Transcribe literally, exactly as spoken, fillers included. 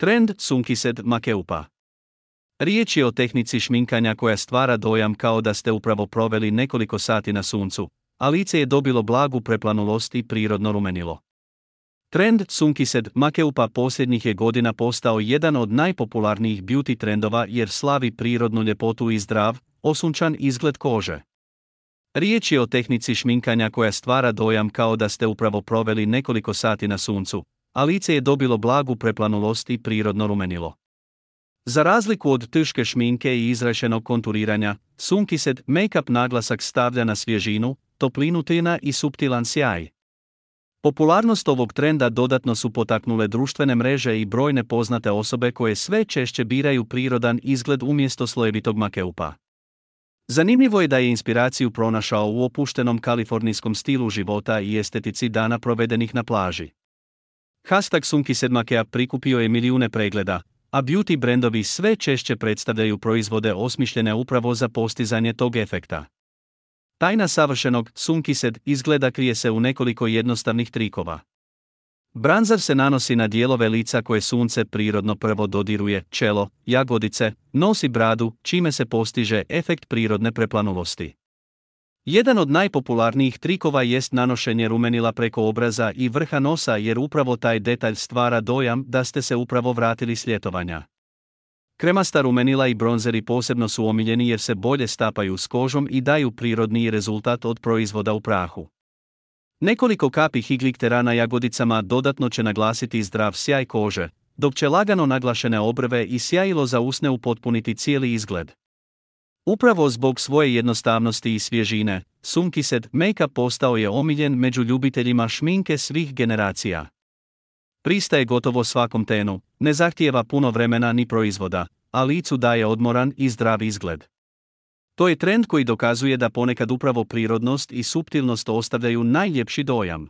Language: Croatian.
Trend Sunkissed Makeupa. Riječ je o tehnici šminkanja koja stvara dojam kao da ste upravo proveli nekoliko sati na suncu, a lice je dobilo blagu preplanulost i prirodno rumenilo. Trend Sunkissed Makeupa posljednjih je godina postao jedan od najpopularnijih beauty trendova jer slavi prirodnu ljepotu i zdrav, osunčan izgled kože. Riječ je o tehnici šminkanja koja stvara dojam kao da ste upravo proveli nekoliko sati na suncu, a lice je dobilo blagu preplanulost i prirodno rumenilo. Za razliku od teške šminke i izrašenog konturiranja, Sunkissed Makeup naglasak stavlja na svježinu, toplinu tina i suptilan sjaj. Popularnost ovog trenda dodatno su potaknule društvene mreže i brojne poznate osobe koje sve češće biraju prirodan izgled umjesto slojevitog makeupa. Zanimljivo je da je inspiraciju pronašao u opuštenom kalifornijskom stilu života i estetici dana provedenih na plaži. Hashtag Sunkissed Makeup prikupio je milijune pregleda, a beauty brendovi sve češće predstavljaju proizvode osmišljene upravo za postizanje tog efekta. Tajna savršenog Sunkissed izgleda krije se u nekoliko jednostavnih trikova. Bronzer se nanosi na dijelove lica koje sunce prirodno prvo dodiruje, čelo, jagodice, nos i bradu, čime se postiže efekt prirodne preplanulosti. Jedan od najpopularnijih trikova jest nanošenje rumenila preko obraza i vrha nosa jer upravo taj detalj stvara dojam da ste se upravo vratili s ljetovanja. Kremasta rumenila i bronzeri posebno su omiljeni jer se bolje stapaju s kožom i daju prirodniji rezultat od proizvoda u prahu. Nekoliko kapi higliktera na jagodicama dodatno će naglasiti zdrav sjaj kože, dok će lagano naglašene obrve i sjajilo za usne upotpuniti cijeli izgled. Upravo zbog svoje jednostavnosti i svježine, Sunkissed Makeup postao je omiljen među ljubiteljima šminke svih generacija. Pristaje gotovo svakom tenu, ne zahtijeva puno vremena ni proizvoda, a licu daje odmoran i zdrav izgled. To je trend koji dokazuje da ponekad upravo prirodnost i suptilnost ostavljaju najljepši dojam.